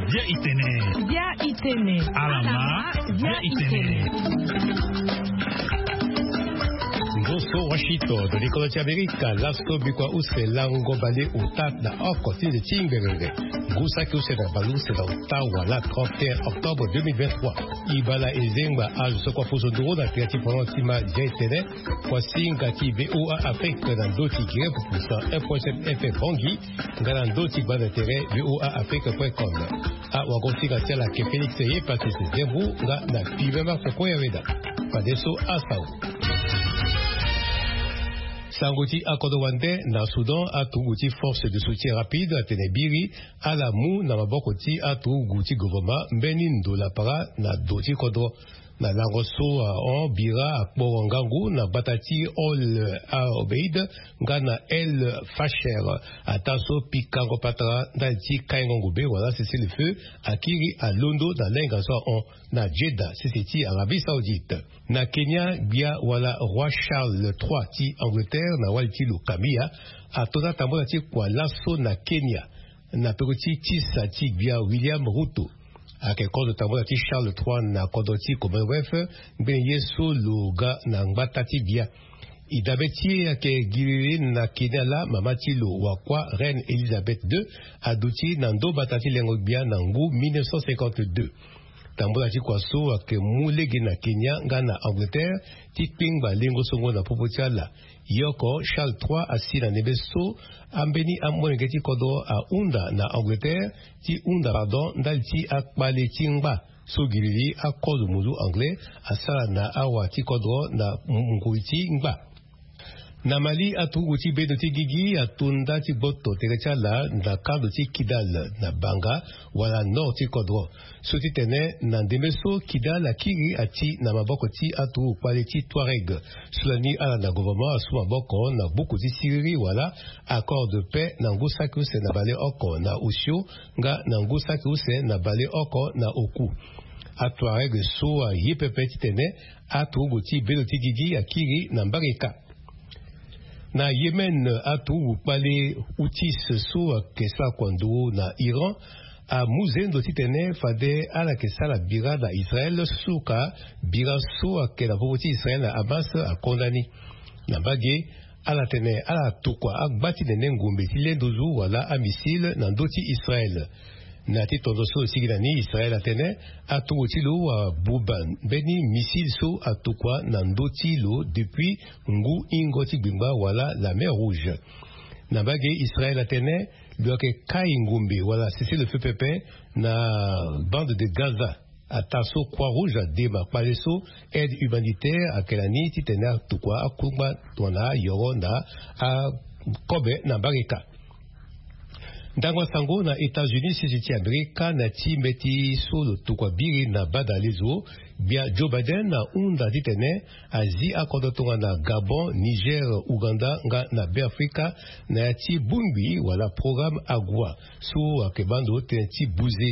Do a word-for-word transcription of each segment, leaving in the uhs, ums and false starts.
Bia itene. Bia itene. Alama. Bia itene. Ngoso Washington, likolo ti Amerika, laso bikua use lango bale ota na oko ti nze ti ngbengenge. Ngu saki use na bale use na ota wala trente et un octobre deux mille vingt-trois. Ibala ezengba azo so kua fuso nduru na tere ti polo ti ma dia etene. Kua singa ti VOA Afrique na ndo ti Grève pour cent un point sept F M Bangui, nga na ndo ti gbanda tere VOA Afrique point com. Awagosinga ti ala ke Félix ye Patrice Zembu nga na Pimema Koko Yaweda. Fadeso asau. Sango ti akodro wande na Soudan, aturugu ti Force de Soutien Rapide atene biri ala mu na maboko ti aturugu ti gouvernement mbeni ndo lapara na do ti kodro. Na lango so ahon bira akporo ngangu na gbata ti Ol Obeid nga na El Fasher, ataa so pikango patara ndali ti kaingo ngombe wala cessez-le-feu akiri alondo na lainga so ahon na Jeddah, sese ti Arabie Saoudite. Na Kenya, gbia wala roi Charles trois ti Angleterre na wali ti lo Camilla ato na tambula ti kua laso na Kenya na peko ti tisa ti gbia William Ruto. Ayeke kozo tambula ti Charles trois na kodro ti Commonwealth, ngbene ye so lo ga na ngbata ti bia. E dabe ti e ayeke giriri na Kenya laa mama ti lo wakua Reine Elizabeth deux aduti na ndo mbata ti lengo gbia na ngu mille neuf cent cinquante-deux. Tambula ti kua so ayeke mu lege na Kenya nga na Angleterre ti kpengba lengo songo na popo ti ala. Ye oko Charles trois asi na ndembe so ambeni amolenge ti kodro ahunda na Angleterre ti hunda pardon ndali ti akpale ti ngba so giriri akozo muzu anglais asara na awa ti kodro na ngoi ti ngba. Na Mali, aturugu ti bendo ti gigi ato nda ti gboto tere ti ala na kando ti Kidal na Banga wala nord ti kodro. So titene na ndembe so Kidal akiri ati na maboko ti aturugu kpale ti Touareg. So lani ala na gouvernement asu maboko na buku ti siriri wala accord de paix na ngu saki use na baleoko na osio nga na ngu saki use na baleoko na oku. Atuareg so aye pepe titene aturugu ti bendo ti gigi akiri na mbarika. Na Yémen, aturugu kpale Houthis so ayeke sara kua nduru na Iran amu zendo titene fade ala yeke sara bira na Israël, suka bira so ayeke na popo ti Israël na Hamas akonda ni. Na mbage, ala tene ala tukua agba ti nene ngombe ti le nduzu wala amissile na ndö ti Israël. Na ya ti tongaso lo sigi na ni, Israël atene aturugu ti lo abuba mbeni missile so atukua na ndö ti lo depuis ngu hingo ti gbingba wala la mer Rouge. Na mbage, Israël atene lo yeke kai ngombe wala cessez-le-feu pepe na bande de Gaza. Ataa so Croix Rouge adema kpale so aide humanitaire ayeke na ni titene atukua akungba tongana ayoro na akobe na mbarika. Ndango asango na États-Unis, sese ti Amerika, na ya ti mbeti so lo tukua biri na badalezo, gbia Joe Biden ahunda titene azi akodro tongana Gabon, Niger, Ouganda nga na Beafrika na ya ti bongbi wala programme Agua so ayeke baa ndo tënë ti buze.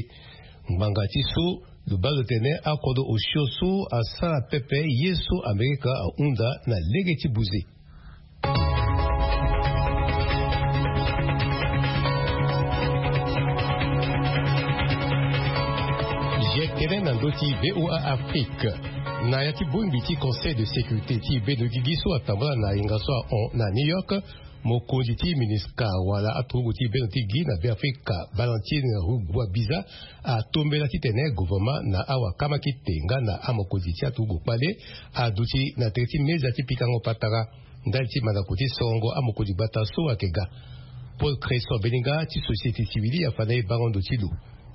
Ngbanga ti so lo baa lo tene akodro osio so asara pepe ye so Amerika ahunda na lege ti buze. Ye tene na ndö ti VOA Afrique. Na ya ti bongbi ti Conseil de sécurité ti bendo gigi so atambula na yenga so ahon na New York, mokonzi ti MINUSCA wala aturugu ti bendo ti gi na Beafrika, Valentine Rugwabiza, atombela titene gouvernement na awakama kite nga na amokonzi ti aturugu kpale aduti na tere ti meza ti pikango patara ndali ti mandako ti sorongo amokonzi gbata so ayeke ga. Paul Cresson Beninga ti société civile afa na e bango ndo ti lo.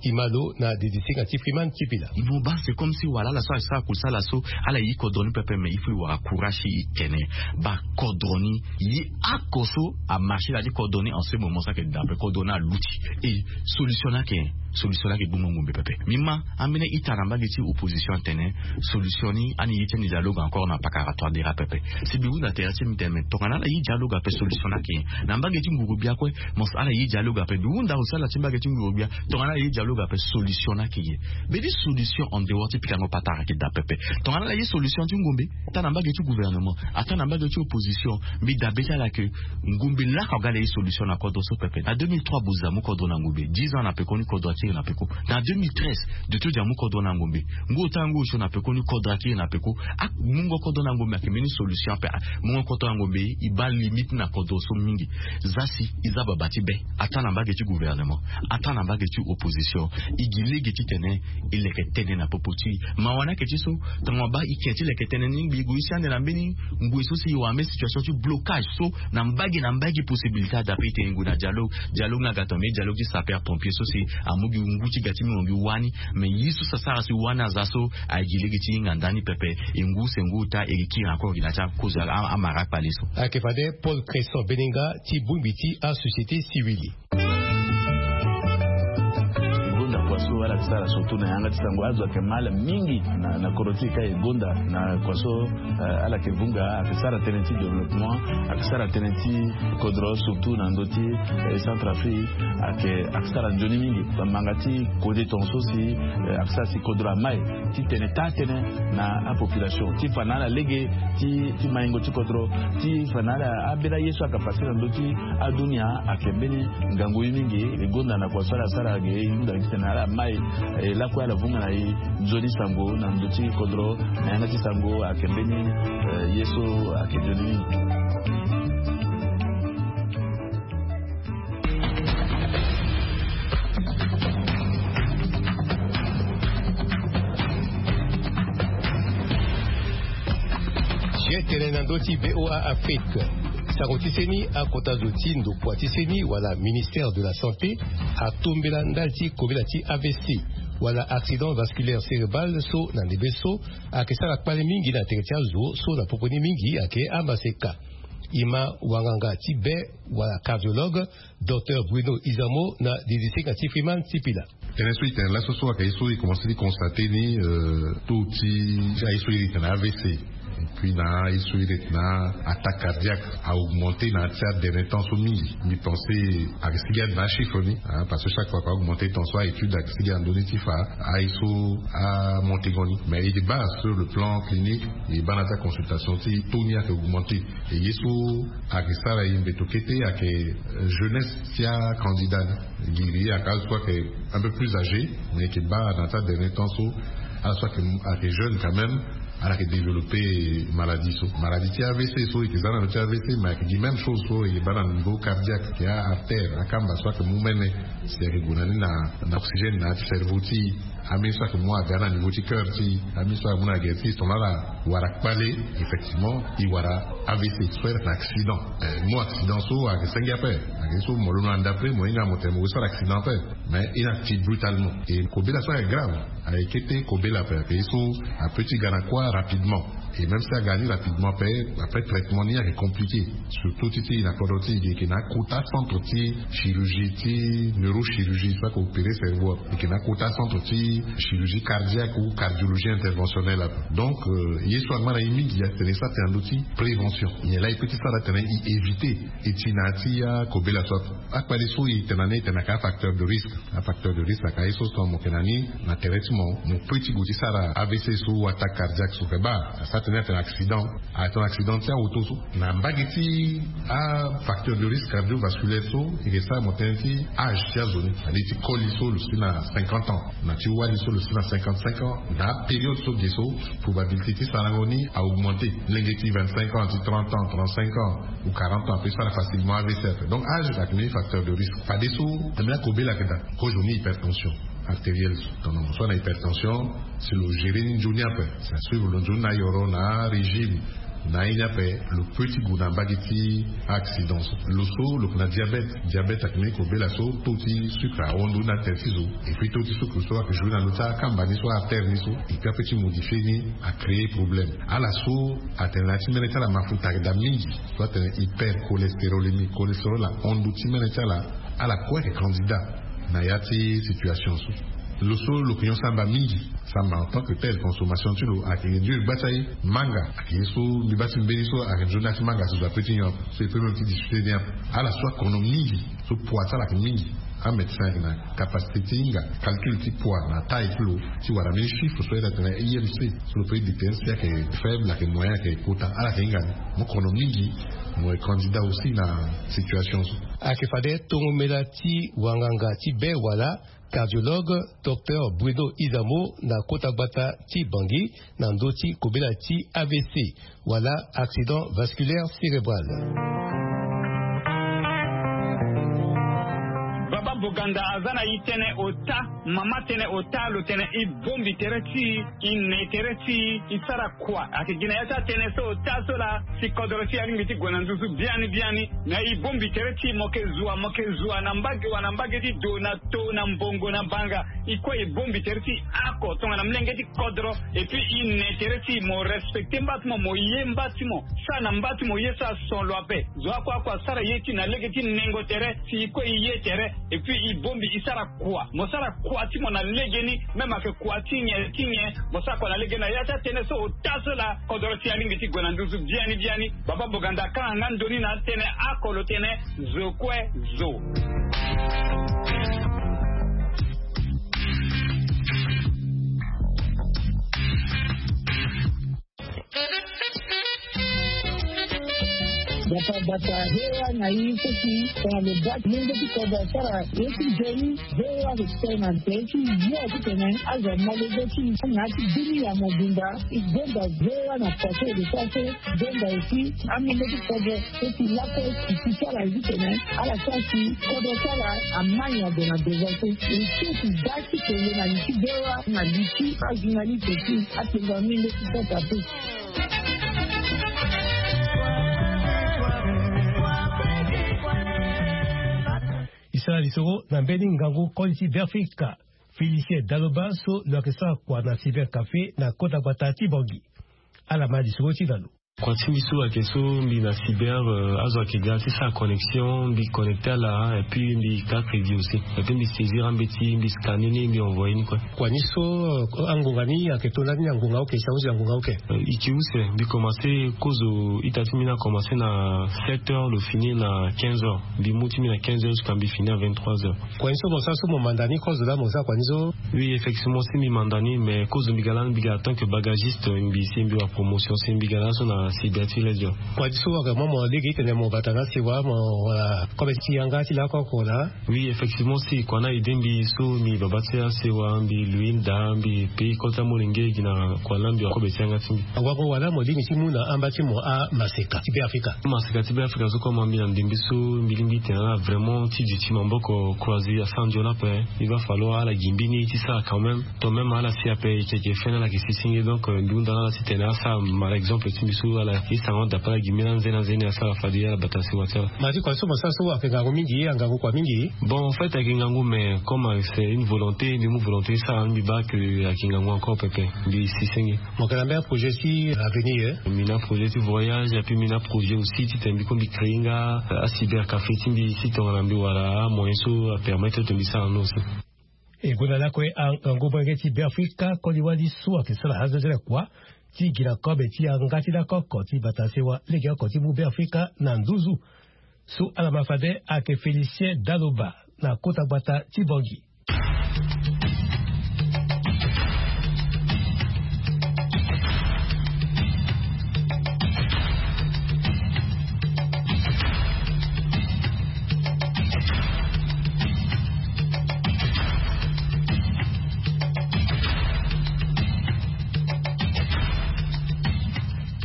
E ma lo na dedisinga ti Freeman Tipila. E mo baa c'est comme si wala ala so asara kusala so ala ye kodro ni pepe, mais il faut e wara courage ti e tene baa kodro ni ye oko so amarché na ya ti kodro ni en ce moment so ayeke dape kodro ni aluti. Et solution ni ayeke solution ni ayeke gbongbongbo mbe pepe. Mbi ma ambeni ita na mbage ti opposition atene solution ni ani ye ti ani dialogue encore na pakara Touadéra pepe. Si mbi hunda tere ti mbi tene mais tongana ala ye dialogue ape solution ni ayeke nyen? Na mbage ti nguru-gbia kue mo si ala ye dialogue ape. Mbi hunda aussi ala ti mbage ti nguru-gbia tongana ala ye dialogue Ape solution na kege. Beni solution en dehors ti pikango patara ki da pepe. Tongana ala ye solution ti ngombe, ata na mbage ti gouvernement, ata na mbage ti opposition, mbi dabe ti ala ke ngombe laka ga ala ye solution na kodro so pepe. Na deux mille trois bozi amu kodro na ngombe, dix ans na peko ni kodro akiri na peko. Na deux mille treize de to di amu kodro na ngombe, ngu ota ngu osio na peko ni kodro akiri na peko. Amungo kodro na ngombe ake mbeni solution ape. Mungo kodro na ngombe, e baa limite na kodro so mingi. Za si e za baba ti be, ata na mbage ti gouvernement, ata na mbage ti opposition. E gi lege titene e leke tënë na popo ti mawa ni ake ti so. Tongana e baa e ke ti leke tënë ni, ngbi e gue si ande na mbeni ngoi so si e wara mbeni situation ti blocage so na mbage na mbage possibilité adape e tene e gue na dialogue. Dialogue ni aga tongana mbeni dialogue ti sapeur pompier so si amu gi ngu ti ga ti mingo gi wani. Mais ye so si asara si wani aza so, aye gi lege ti hinga ndani pepe. E ngu se ngu ota e kiri encore gi na ti akozo a- a- amara akpale so. Ayeke fade Paul Cresson Benenga ti bongbi ti asociété civile. E gonda kua so ala yeke sara surtout na yanga ti sango azo ayeke mal mingi na, na kodro ti e ka e gonda na kua so, eh, ala yeke vunga, ayeke sara tënë ti développement, ayeke sara tënë ti kodro surtout na ndö ti, eh, Centrafrique, ayeke, ayeke sara nzoni mingi. Bamanga ti kode tongaso si, eh, ayeke sara si kodro amai ti tene taa-tënë na apopulation ti fa na ala lege ti, ti maingo ti kodro, ti fa na ala abela ye so ayeke pase na ndö ti adunia. Ayeke mbeni ngangu ye mingi. E gonda na kua so ala sara ge e hunda gi titene ala mai, eh, lakue ala vunga na e nzoni sango na ndö ti kodro na yanga ti sango. Ayeke mbeni, eh, ye so ayeke nzoni mingi. Tene na ndö ti VOA Afrique. Sango ti seni, akota zo ti ndokua ti seni wala ministère de la santé atombela ndali ti kobela ti A V C wala accident vasculaire cérébral so na ndembe so ayeke sara kpale mingi na tere ti azo so na popo ni mingi ayeke amaseka. E ma wanganga ti be wala cardiologue, Docteur Bruno Izamo na didisinga ti Freeman Sipila. Tënë so e tene laso so ayeke ye so e komanse ti constate ni, euh, taux ti aye so iri tene A V C, et puis na aye so iri tene attaque cardiaque a augmenté na ya ti aderni temps so mingi. Mbi pensé ayeke sigi ade na achiffre ni, hein, parce que chaque fois que a augmenté temps so a étude ayeke sigi na ndö ni ti fa aye so amonté ngo ni. Mais e baa sur le plan clinique, e baa na ya ti aconsultation ti taux ni ayeke augmenté. E ye so ayeke sara e mbeto kete ayeke, euh, jeunesse ti acandidat ni. Giri ayeke azo so ayeke un peu plus âgé, mais e yeke baa na ya ti aderni temps so ala so ayeke, ayeke jeune quand même, ala yeke développé maladie so. Maladie ti A V C so e yeke za na ndö ti A V C, mais ayeke gi même chose so e yeke baa na niveau cardiaque, ayeke a-artère, akamba so ayeke mu mene. Si ayeke gue na ni na, na oxygène na ya ti cerveau ti e, ambeni so ayeke mu aga na niveau ti cœur ti e, ambeni so ayeke mu na gere ti e, si tongana ala wara kpale, effectivement e wara A V C, so ayeke na accident. Eh, mo accident so ayeke senge ape, ayeke so mo londo na ndapre mo hinga mo tene mo sara accident ape. Mais e na ti brutalement. E kobela so ayeke grave, ayeke kete kobela ape, ayeke ye so apeut ti ga na kuâ rapidement. Et même si aga ni rapidement ape, après traitement ni ayeke compliqué. Surtout ti ti na kodro ti e, e yeke na akota centre ti chirurgie, ti neurochirurgie, so ayeke opéré cerveau ape. E yeke na akota centre ti chirurgie cardiaque ou cardiologie interventionnelle ape. Donc, euh, ye so angba na e mingi atene e sara tënë na ndö ti prévention. Nyen laa e peut ti sara titene e éviter e ti na ya ti akobela so ape. Akpale so e tene na ni, e tene ayeke afacteur de risque. Afacteur de risque ayeke aye so, so mo yeke na ni na tere ti mo, mo peut ti gue ti sara A V C so ou attaque cardiaque so. Ayeke baa asara tënë atene accident, atene accident ti aauto so. Na mbage ti afacteur de risque cardiovasculaire so, e yeke sara mo tënë ti âge ti azo ni. Alingbi ti koli so lo si na cinquante ans, na ti wali so lo si na cinquante-cinq ans. Na apériode so ge so, probabilité ti sarango ni a augmenté. Lenge ti vingt-cinq ans, ti trente ans, trente-cinq ans ou quarante ans apeut sara facilement A V C ape. Donc âge ayeke mbeni facteur de risque. Fadeso ambeni akobela ayeke daa. Kozo ni hypertension artérielle so, tongana mo so ana hypertension, si lo gérer ni nzoni ape, si asuivre lo nzoni na ayoro, na arégime, na aye ni ape, lo peut ti gue na mbage ti accident so. Lo so lo yeke na diabète. Diabète ayeke mbeni kobela so taux ti sucre ahon ndoni na tere ti zo. Et puis taux ti sucre so ayeke jouer na ndö ti akamba ni so, artère ni so. Et puis apeut ti modifier ni, acréer problème. Ala so atene na ya ti mbeni ti ala mafuta ayeke daa mingi, so atene hypercholestérolémie, cholestérol ahon ndö ti mbeni ti ala. Ala kue ayeke candidat na ya ti situation so. Lo so lo yeke nyon samba mingi, samba en tant que tel, consommation ti lo ayeke réduire gba ti aye. Manga ayeke ye so mbi baa ti mbeni so ayeke nzoni na ya ti manga so zo apeut ti nyon ape, so e peut même ti discuter ni ape. Ala so akono mingi, so poids ti ala ayeke mingi, Amédecin ayeke na capacité ti hinga calcul ti poids na taille ti lo ti wara mbeni chiffre so ayeke tene imc so lo peut dite si ayeke faible ayeke moyen ayeke kota ala yeke hinga ni. Mo kono mingi mo ye candidat aussi na situation so. Ayeke fade tongomela ti wanganga ti be wala cardiologue docteur Bruno Izamo na kota gbata ti Bangui na ndö ti kobela ti A V C wala accident vasculaire cérébral. Baba Boganda aza na e tënë ota, mama tënë ota, lo tene e bongbi tere ti e, e ne tere ti e, e sara kua. Ayeke gi na ya ti atënë so ota so laa si kodro ti e alingbi ti gue na nduzu biani biani. Na e bongbi tere ti e, mo yeke zua, mo yeke zua na mbage wa na mbage ti do na to na mbongo na banga. E kue e bongbi tere ti e oko tongana molenge ti kodro. Et puis e ne tere ti e, mo respecter mba ti mo, mo ye mba ti mo. Sara na mba ti mo ye so ason lo ape. Zo oko oko asara ye ti e na lege ti nengo tere si e kue e ye tere. Et puis e bongbi e sara kua. Mo sara kua ti mo na legeni, même ayeke kua ti nyen ti nyen, mo sara kua na legeni. Na ya ti atënë so ota so laa kodro ti e alingbi ti gue na nduzu biani biani. Baba Boganda akanga nga ndoni na atënë oko lo tene zo kue zo. Bata bata, he wa na e so si tongana lo baa ti lenge ti kodro asara ye ti nzoni, he wa lo tene na nze ti yo titene azo amolenge ti e na ya ti bini ya mobimba. E gonda he wa na kua so e lo sara so. Gonda aussi amolenge ti kodro so si lakue si ti sara titene ala sara si kodro ti ala amai na gue na devant so. E so si baa ti tene na li ti he wa na li ti ajournaliste ti atengo amolenge ti kota pe. E sara lisoro na mbeni ngangu koli ti Beafrika, Félicien Daloba so lo yeke sara kua na Cyber Café na kota gbata ti Bangui. Ala ma lisoro ti na lo. Kua ti mbi so ayeke so mbi na cyber, euh, azo ayeke ga ti sara connexion, mbi connecté ala, et puis mbi ka crédit aussi. Et puis mbi saisir ambeti, mbi scanner ni, mbi envoyer ni kue. Kua ni so, euh, angonga ni ayeke to lani angonga oke, si ahusi angonga oke? Euh, e ke use, mbi commencé kozo ita ti mbi ni akommence na sept heures, lo fini na quinze heures. Mbi mu ti mbi na quinze heures jusqu'à mbi fini à vingt-trois heures. Kua ni so mo sara so mo manda ni kozo laa mo sara kua ni so? Oui, effectivement, si mbi manda ni, mais kozo mbi ga lani mbi ga en tant que bagagiste, mbi si mbi wara promotion, si mbi ga laso na cyber ti Ledger. Kua ni so wara mo, mo lege titene mo bata na asewa, mo wara kobe ti yanga ti lakue oko laa? Oui, effectivement, si kua ni aidé mbi so mbi baba ti asewa, mbi lui nda, mbi pei kota molenge gi na kua laa mbi wara kobe ti yanga ti mbi. Awara mo wala mo lingbi ti mu na amba ti mo amaseka ti Beafrika? Amaseka ti Beafrika so koma mbi na ndembe so mbi lingbi tene ala vraiment ti duti maboko croisé asara nzoni ape. Il va falloir ala gi mbeni ti sara quand même. To même ala si ape e yeke fene ala yeke si senge. Donc, euh, mbi hunda na ala titene asara ma exemple ti mbi so ala ye sango dape ala gi mbeni anzeni anzeni asara fade ala bata sewa ti ala. Ma ti kua so mo sara so ayeke ngangu mingi, angangu kua mingi? Bon, en fait ayeke ngangu, mais comme c'est une volonté, mbi mu volonté ti sara, mbi baa que ayeke ngangu encore pepe. Mbi si senge. Mo yeke na mbeni projet ti avenir? Mbi na projet ti voyage, et puis mbi na projet aussi titene mbi kue mbi créer nga, euh, acyber café ti mbi, si tongana mbi wara amoyen so apermettre titene mbi sara ni aussi. E gonda lakue angangu molenge ti Beafrika koli wali so ayeke sara azo ti ala kua ti gi na kobe ti yanga ti lakue oko ti bata sewa legeoko ti mu Beafrika na nduzu. So ala ma fade ayeke Félicien Daloba na kota gbata ti Bangui.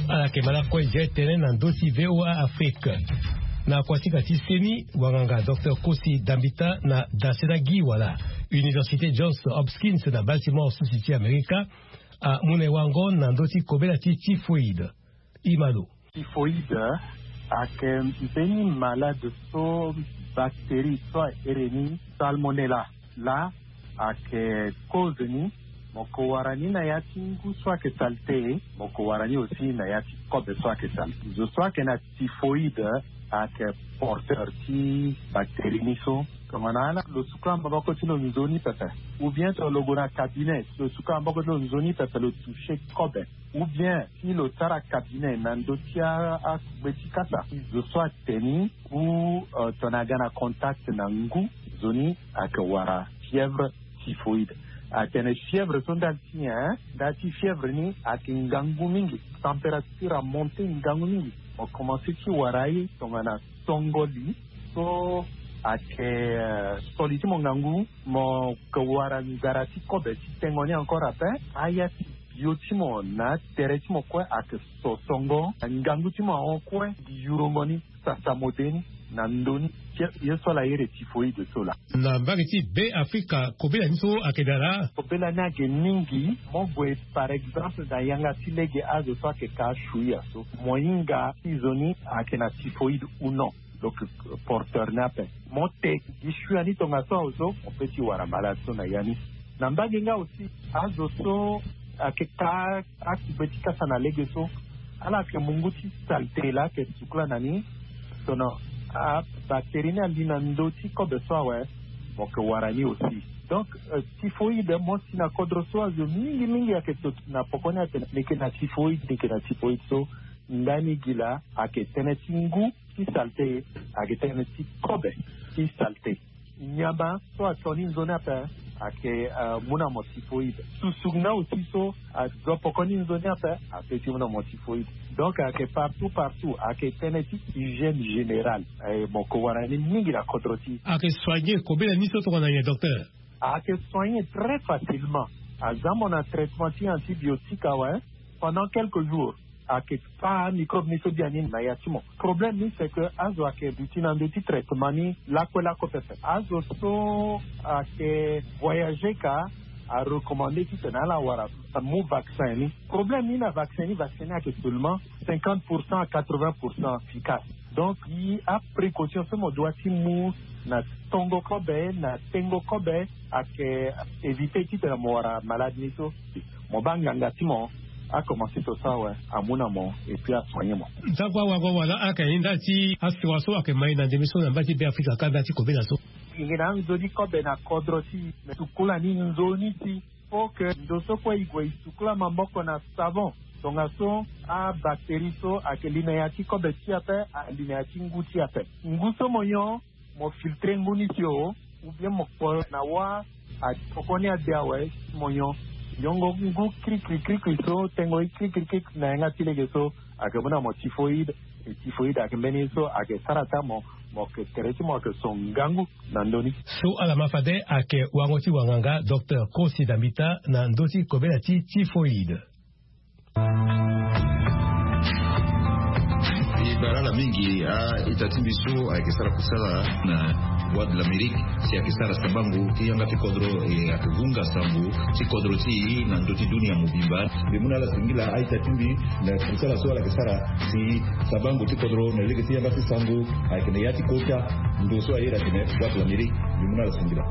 Ala yeke ma lakue je tënë na ndö ti V O A Afrique. Na kuasinga ti seni, wanganga docteur Kosi Dambita na dasena gi wala Université Johns Hopkins na Baltimore, sisi ti Amerika, amu na e wango na ndö ti kobela ti typhoïde. Imalo. Typhoïde ayeke mbeni malade so bactérie so ahere ni Salmonella laa ayeke cause ni. Mo ko wara ni na ya ti ngu so ayeke saleté, mo ko wara ni aussi na ya ti kobe so ayeke saleté. Zo so ayeke na typhoïde ayeke porteur ti bactérie ni so. Tongana ala lo suka maboko ti lo nzoni pepe, ou bien tongana lo gue na cabinet lo suka maboko ti lo nzoni pepe, lo toucher kobe, ou bien si lo sara cabinet na ndö ti akugbe ti kasa, si zo so atene ou tongana aga na contact na ngu, zo ni ayeke wara fièvre typhoïde. Atene fièvre so ndali ti nyen? Ndali ti fièvre ni ayeke ngangu mingi, température amonte ngangu mingi. Mo commence ti wara ye tongana songo li so ayeke so li ti mo ngangu, mo ke wara nzara ti kobe ti tengo ni encore ape. Aya ti bio ti mo na tere ti mo kue ayeke so songo, ngangu ti mo ahon kue. Gi yurongo ni, sasa mo de ni na ndö ni. Ye so ala iri typhoïde so laa. Na mbage ti Beafrika kobela ni so ayeke daa laa? Kobela ni ayeke mingi. Mo gue par exemple na yanga ti lege azo so ayeke ka shuia so, mo hinga ti zo ni ayeke na typhoïde ou non. Donc porteur ni ape, mo te gi shuia ni tongaso awe so mo pe ti wara malade so na ya ni. Na mbage nga aussi, azo so ayeke ka akugbe ti kasa na lege so, ala yeke mungu ti saleté laa ayeke sukula na ni. Sono abactérie ni ali na ndö ti kobe so awe, mo yeke wara ni aussi. Donc typhoïde mo si na kodro so azo mingi mingi ayeke to na poko ni atene ni yeke na typhoïde, ni yeke na typhoïde so. Ndani gi laa ayeke tënë ti ngu ti saleté, ayeke tënë ti kobe ti saleté. Nyama so ato ni nzoni ape ayeke mu na mo typhoïde. Susu nga aussi so azo poko ni nzoni ape ape ti mu na mo typhoïde. Donc ayeke partout partout, ayeke tënë ti hygiène générale. Mo ke wara ni mingi na kodro ti. Ayeke soigner kobela ni so tongana nyen docteur? Ayeke soigner très facilement. Aza mo na traitement ti antibiotique awe, pendant quelques jours ayeke fâ microbe ni so biani na ya ti mo. Problème ni c'est que azo ayeke duti na ndö ti traitement ni lakue lakue pepe. Azo so ayeke voyager ka arecommande titene ala wara, amu vaccin ni. Problème ni na vaccin ni, vaccin ni ayeke seulement cinquante pour cent à quatre-vingts pour cent efficace. Donc gi aprécaution so mo doit ti mu na tongo kobe, na tengo kobe, ayeke éviter titene mo wara malade ni so. Mo baa nganga ti mo akomanse to so awe, amu na mo et puis asoigner mo. Ntangu awago wala aka ye ndali ti asiwa so ayeke mai na ndembe so na mbage ti Beafrika ka ndali ti kobela so. E yeke na anzoni kobe na kodro ti e, me sukula ni nzoni ti. Faut que ndo so kue e gue e sukula maboko na savon. Tongaso abactérie so ayeke li na ya ti kobe ti e ape, ali na ya ti ngu ti e ape. Ngu so mo nyon, mo filtrer ngu ni si o, ou bien mo kpo na wâ. Atokoni ade awe, mo nyon. Nyongo ngu krikri krikri so tengo ye krikri krikri na yanga ti lege so, ayeke mu na mo typhoïde. E typhoïde ayeke mbeni ye so ayeke sara ata mo, mo yeke tere ti mo ayeke so ngangu na ndö ni. So ala ma fade ayeke wango ti wanganga docteur Kosi Dambita na ndö ti kobela ti typhoïde. E bara ala mingi a-ita ti mbi so ayeke sara kusala na Voix de l'Amérique, si ayeke sara sabango ti yanga ti kodro, e ayeke vunga sango ti kodro ti e na ndö ti dunia mobimba. Mbi mu na ala singila a-ita ti mbi na kusala so ala yeke sara si sabango ti kodro na lege ti yanga ti sango ayeke na ya ti kota ndo so aye ayeke na ya ti Voix de l'Amérique. Mbi mu na ala singila.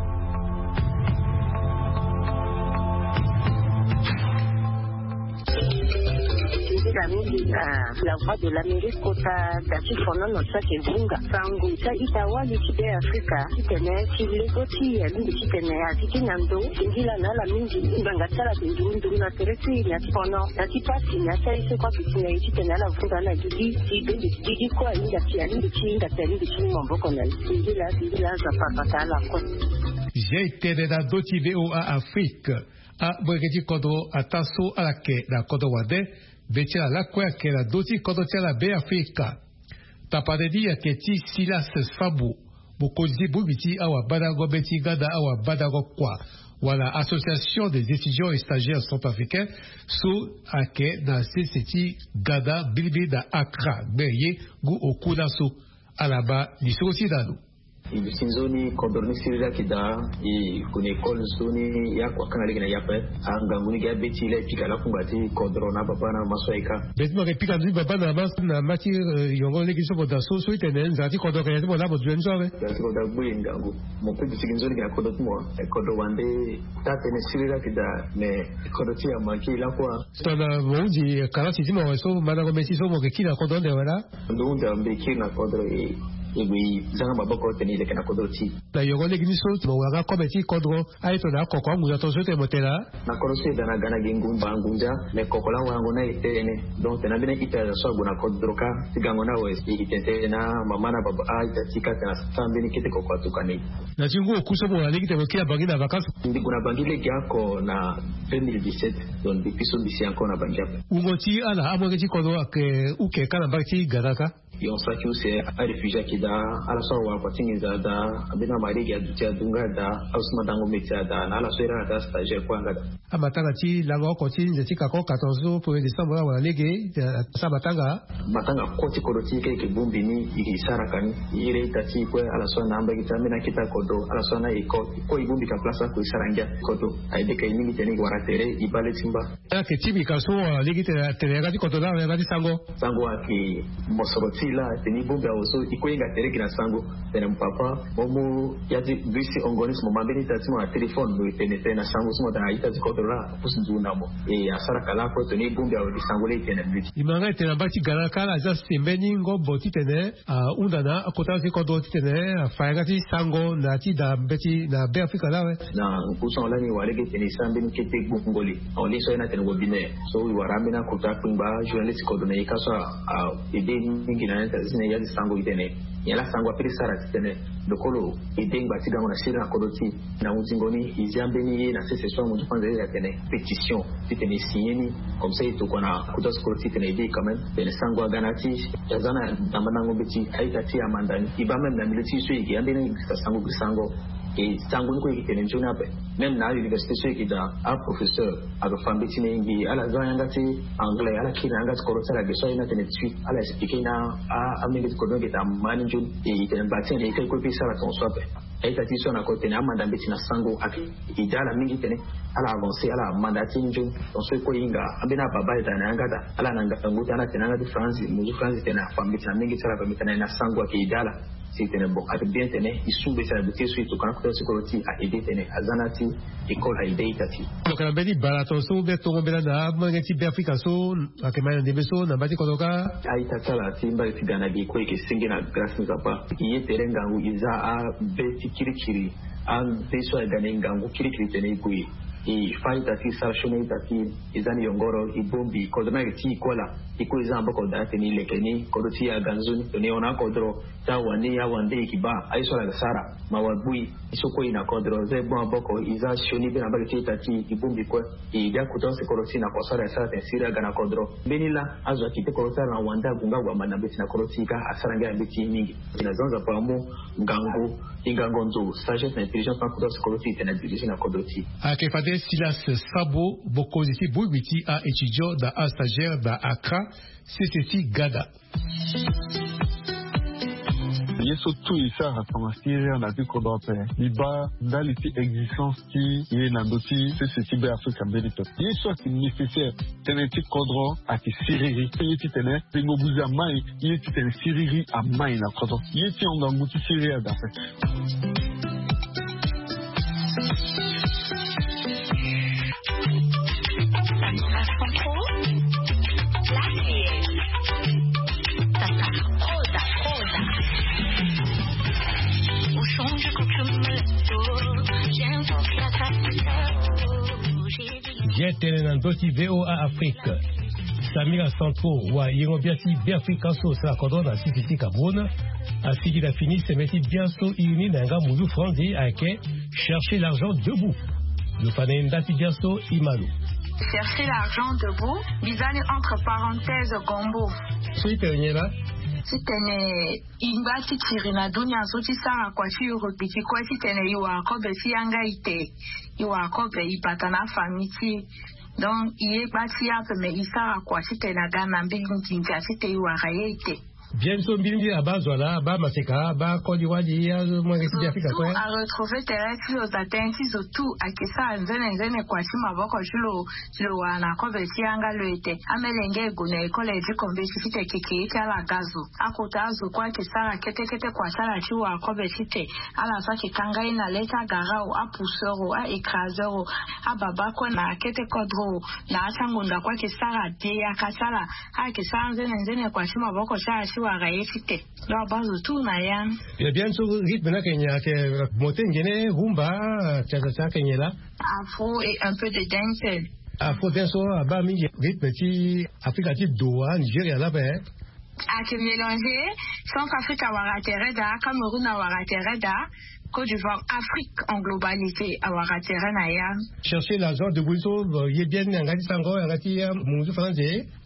Nzila mingi na La Voix de l'Amérique kota da ti fonono ti ayeke vunga sango ti a-ita wali ti Beafrika titene ti lego ti e alingbi titene a ti kiri na ndo. Singila na ala mingi. Ngbanga ti ala ayeke nduru nduru na tere ti e na ti fono na ti pasi na ya ti aye so kue ayeke si na e titene ala vunga ala gigi ti bende ti gigi kue ahinga ti alingbi ti hinga ti alingbi ti mu maboko na e. Singila singila aza papa ta ala kue. Zia e tene na ndö ti VOA Afrique. Aboreke ti kodro ataa so ala yeke na kodro wande, be ti ala lakue ayeke na ndö ti kodro ti ala Beafrika. Tapande ni ayeke ti Silas Fabu, mokonzi ti bongbi ti awabandango be ti ganda awabandango kua wala Association des étudiants et stagiaires centrafricains so ayeke na sese ti ganda mbilimbili na Accra, gbe ye ngu oku laso. Ala ma lisoro ti e na lo. E duti nzoni kodro ni siriri ayeke daa. E gue na école nzoni, e akua kanga lege na e ape. Angangu ni gi abeti laa e pika lakungba ti kodro na ababa na amaso ayeka. Be ti mo yeke pika nzoni baba na ama na ama ti yongo lege so mo daa so so ti tene nzara ti kodro ayeke na ya ti mo laa mo dunia ni so awe. Nzara ti kodro agbu e ngangu. Mo pe duti gi nzoni gi na kodro ti mo. Kodro wande taa tënë siriri ayeke daa, me kodro ti e amanke e lakua. Tongana mo hunzi kalasi ti mo awe so mandango mbeti so mo yeke kiri na kodro ande awe laa. Ndo hunzi awe mbi kiri na kodro e. E gue e zanga maboko titene e leke na kodro ti e. Na yongo lege ni so mo wara kobe ti kodro, aye tongana akoko anguza tongaso ti mo tela. Na kodro so e da na ga na gi ngumba ngunza, me koko laa warango ni aye tënë. Donc tena mbeni ita so ague na kodro kâ ti gango ni awe, e gi tene tënë na mama na baba, a-ita ti e kâ tena sara mbeni kete koko atuka ni. Na ti ngu oku so mo wara lege titene mo kiri na Bangui na vacances? Mbi gue na Bangui lege oko na deux mille dix-sept. Donc depuis so mbi si encore na Bangui ape. Wungo ti ala amolenge ti kodro ayeke uke kâ na mbage ti Ghana kâ? Yo, saki use aréfugié ayeke daa, ala so awara kua ti nginza daa, ambeni amari gi aduti adunga daa, ala so ma dango métier adaa, na ala so iri ala daa stagiaire kue anga daa. Amatanga ti lango oko ti nze ti kako, quatorze au premier décembre, awara lege, eh, asara matanga. Matanga kue ti kodro ti e kâ e yeke bongbi ni, e yeke sara ka ni. E iri ita ti e kue, ala so ana ambagi ti ambeni akete kodro, ala so ana école, e kue e bongbi ka place oko e sara ngia kodro. Aye be ka e mingi titene e wara tere, e baa le ti mba. Ayeke ti mbi ka so, ah, lege titene atene yanga ti kodro laa, yanga ti sango. Sango ayeke mosoro ti e laa, titene e bongbi awe so, e kue e hinga tere gi na sango. Tene mo papa, mo mu ya ti bus ti ongo ni so mo ma mbeni ita ti mo na téléphone, mo tene tene na sango so mo tene na ita ti kodro laa, apusu nzoni na mo. E asara ka laa kue titene e bongbi awe gi sango laa e tene na mbi. E ma nga e tene na mbage ti Ghana kâ, ala zia si mbeni ngombo titene ahunda na akota ti kodro titene afa yanga ti sango na ti da mbeti na Beafrika laa awe. Na ngu so lani e wara lege titene e sara mbeni kete gbongoli. Awe, ni so aye na tene webinaire so e wara ambeni akota kpengba journaliste ti kodro na e kâ so a, a, e de mingi na ya ti sango, e tene nyen laa sango apeut ti sara titene lo kue lo ede ngba ti gango na siriri na kodro ti e. Na hunzingo ni, e zia mbeni ye na sese so amunzu kue anzere, e tene pétition titene e signé ni. Comme ça e tokua na kota ti kodro ti e titene e ede quand même. Tene sango aga na ya ti e, e za na mandango mbeti, a-ita ti e amanda ni. E baa même na milieu ti e so e yeke ambeni sango gi sango, e sango ni kue e yeke tene nzoni ape. Même na a-université so e yeke daa, aprofesseur ayeke fa mbeti na e ngbii, ala za yanga ti anglais, ala kiri na yanga ti kodro ti ala ge so aye ni atene ti ala expliqué na a, amenge ti kodro ni ge daa ma ni nzoni. E tene mba ti e na e kâ e kue pe e sara tongaso ape. A-ita ti e so na kodro tene amanda mbeti na sango ayeke ede ala mingi titene ala avancé, ala manda ti e nzoni. Tongaso e kue e hinga ambeni ababa e daa na yanga daa, ala na ngangu ti ala tene yanga ti franzi, muzu franzi tene afa mbeti na mingi ti ala ape, mbeti na e na sango ayeke ede ala. Si e tene bon, ayeke bien titene e su mbeti na duti so e tokua na kota ti kodro ti e, a ede titene aza na ti école, a ede a-ita ti e. Lo yeke na mbeni bala tongaso, mbeni tongo mbela na amolenge ti Beafrika so ayeke ma na ndembe so na mbage ti kodro kâ. A-ita ti ala ti mbage ti Ghana ge kue e yeke senge na grâce ti Nzapa. E ye tere ngangu, e za abe ti kirikiri, abe so aga na e ngangu kirikiri titene e gue e fa a-ita ti e, e sara sioni a-ita ti e, e za ni yongoro, e bongbi kodro ni ayeke ti e kue laa. E kue e za maboko daa titene e leke ni, kodro ti e aga nzoni, titene e hon na akodro. Ti awande, awande e yeke baa aye so ala yeke sara. Ma wa gbu e, e so kue e na kodro, za e gbu maboko, e za sioni be na mbage ti a-ita ti e, e bongbi kue. E ede akota use kodro ti e na kua so ala yeke sara titene siriri aga na kodro. Mbeni laa azo akete kodro ti ala na wande ague nga ague amanda mbeti na kodro ti e kâ, asara ngia na mbeti mingi. E na zia Nzapa amu ngangu, e ngangu nzo, sagesse na intelligence na akota use kodro ti e titene adirigé na kodro ti e. Ayeke fade Silas Sabo, mokonzi ti bongbi ti a-étudiant na a-stagiaire na Accra, sese ti Ghana. Ye so tout e sara tongana siriri na ti kodro ape, e baa ndali ti existence ti e na ndö ti sese ti Beafrika mbeni pepe. Ye so ayeke nécessaire tënë ti kodro ayeke siriri. Ye titene tengo buze amai, ye titene siriri amai na kodro. Ye ti hon ngangu ti siriri aga ape. Bien tene na ndö ti V O A Afrique. Samira Santro, wayengo-bia ti Beafrika so asara kodro na sese ti Cameroun, asigi na fini seme ti bia so iri ni na yanga munzu franzi ayeke Chercher l'argent debout. Lo fa na e nda ti bia so e ma lo. Chercher l'argent debout, mbi za ni entre parenthèses gombo. So e tene nyen laa? Titene e ngba ti kiri na dunia so ti sara kua ti e rugby ti kue titene e wara kobe ti yanga ite, e wara kobe e bata na afamille ti e. Donc e ye gba ti e ape, me e sara kua titene aga na mbeni nginza titene e wara ye ite. Bien so mbirimbiri abaa zo ala, abaa maseka, abaa koli wali, amolenge ti Beafrika kue. Zo tout aretrouver tere ti lo, da tënë ti zo tout ayeke sara nzene nzene kua ti maboko ti lo, ti lo wara na kobe ti yanga lo ete. Amolenge e gue na école ti kombeti titene keke eke ala ga zo. Akota azo kue ayeke sara kete kete kua ti ala ti wara kobe titene ala so ayeke kanga ye na le ti agarau, apousseur o, a-écraseur o, ababa kue na akete kodro o, na atiangonda kue ayeke sara de yaka ti ala. Ayeke sara nzene nzene kua ti maboko ti ala. Ti wara ye ti te. Donc abaa zo tout na ya. Bien so rythme ni ayeke nyen? Ayeke mote nyen? Rumba, cha-cha-cha, ayeke nyen laa? Afro et un peu de dancehall. Afro dance so abaa mingi rythme ti Afrika ti do wa, Nigeria laa ape. Ayeke mélanger. Centrafrique awara tere daa, Cameroun awara tere daa, Côte d'Ivoire, Afrique en globalité awara tere na ya. Chercher l'argent debout so, euh, ye bien ni na yanga ti sango, yanga ti, euh, munzu France.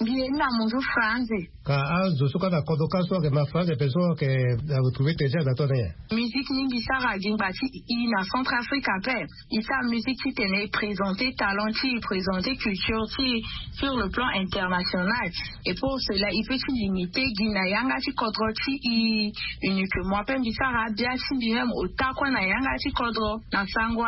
Mbi ye ni na munzu France. Ka azo so kâ na kodro kâ so ayeke ma France ape so ayeke, euh, retrouver tere ti azo na tongaso nyen? Musique ni mbi sara gi ngba ti i na Centrafrique ape. I sara musique titene i présenter talent ti i, présenter culture ti i sur le plan international. Et pour cela, i peut ti limiter gi na yanga ti kodro ti i uniquement. Ape mbi sara abia ti mbi même ota kue na yanga ti kodro na sango.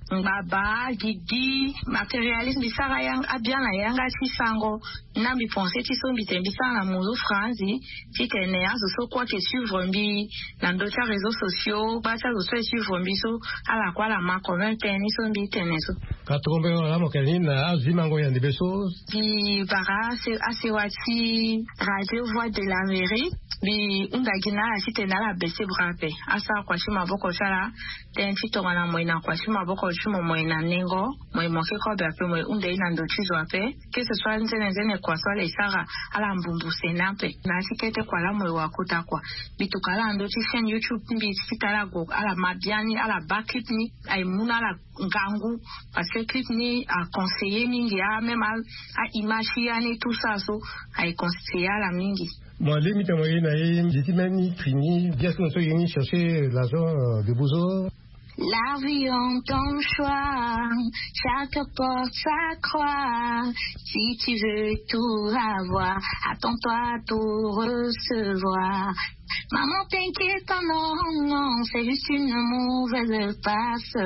Ngbaba, gigi, matérialisme, mbi sara yang-, abia na yanga ti sango. Na mbi pensé ti so mbi tene mbi sara na munzu France, titene azo so kue ayeke suivre mbi na ndö ti aréseaux sociaux, baa ti azo so ayeke suivre mbi so, ala kue ala ma quand même tënë ni so mbi tene so. Ka tongombe wala mo yeke ni na azo ti mango yande be so. Mbi bara ase-, asewa ti Radio Voix de l'Amérique, mbi hunda gi na ala titene ala baisser bras ape. Asara kua ti maboko ti ala, tënë ti tongana mo ye na kua ti maboko ti mo, mo ye na nengo, mo ye mo ke kobe ape, mo ye hunda ye na ndö ti zo ape. Que ce soit nzene nzene kua so ala ye sara, ala mbumbuse ni ape. Na ya ti kete kua laa mo ye wa kota kua. Mbi tuka ala na ndö ti chaîne YouTube ti mbi ti titene ala gue, ala ma biani, ala baa clip ni, aye mu na ala ngangu. Parce que clip ni a conseiller mingi, a même a, a image ti ya ni tout ça so, aye conseiller ala mingi. Mo lingbi ti mo ye na ye, mbi ti mbeni fini, bien sûr so ye ni chercher l'argent, euh, debout so. La vie en ton choix, chaque porte sa croix. Si tu veux tout avoir, attends-toi à tout recevoir. Maman, t'inquiète pas, non, non, c'est juste une mauvaise passe.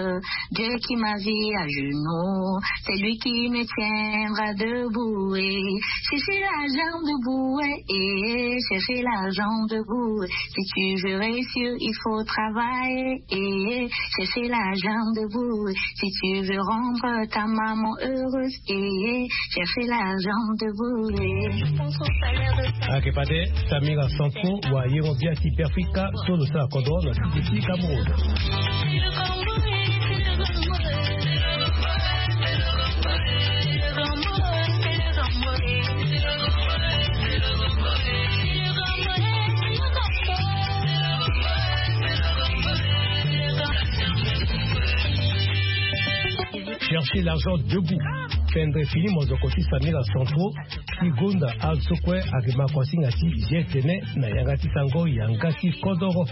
Dieu qui m'a vu à genoux, c'est lui qui me tiendra debout. Eh, chercher l'argent debout, eh, eh, chercher l'argent debout. Si tu veux réussir, il faut travailler, eh, chercher l'argent debout. Si tu veux rendre ta maman heureuse, eh, chercher l'argent debout, eh. Ake pate, Samira Sanfo, wa yengo bia ti Beafrika so lo sara kodro na siki ti Cameroun. Chercher l'argent debout. Fendre fini mozoko ti Samira Sanfo, ti gonda azo so kue ayeke ma kuasinga ti ye tene na yanga ti sango yanga ti kodoro.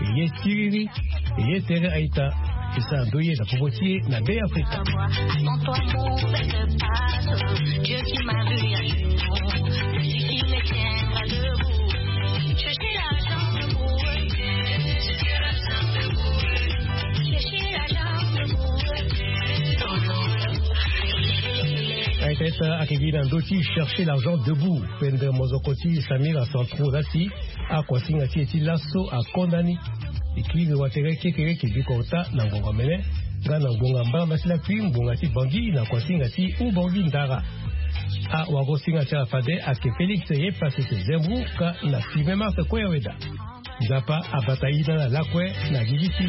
E ye siriri, e ye tere a-ita. E sara ndoye na popo ti e na Beafrika. Peut-être ake gi na ndö ti chercher l'argent debout. Fendre mozoko ti Samira Sanfo la si akuasinga ti e ti laso akonda ni. E kiri watere kekereke biko ota na ngonga mene nga na ngonga mbala mbasi lakui ngonga ti Bangui na kuasinga ti Oubangui Ndara. Awagosinga ti ala fade ake Félix Yepasese Zembou ka na six mai mars kue ya weda. Nzapa abata ina na lakue na gigi ti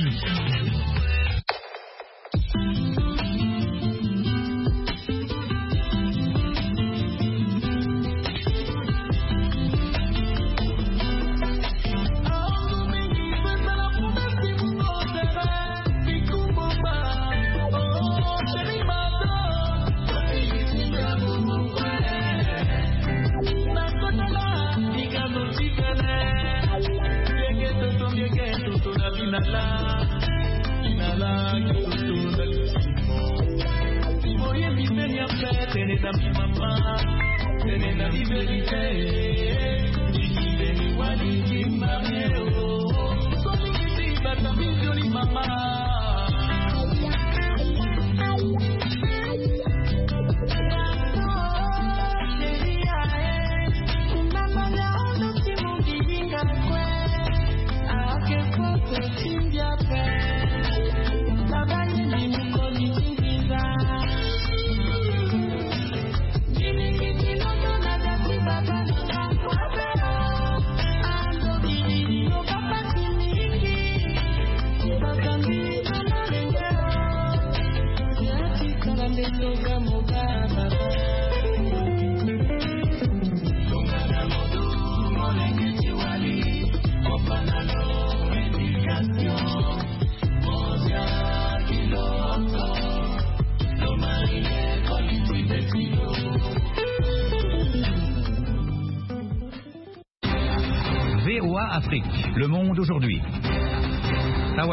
V O A Afrique, le monde aujourd'hui.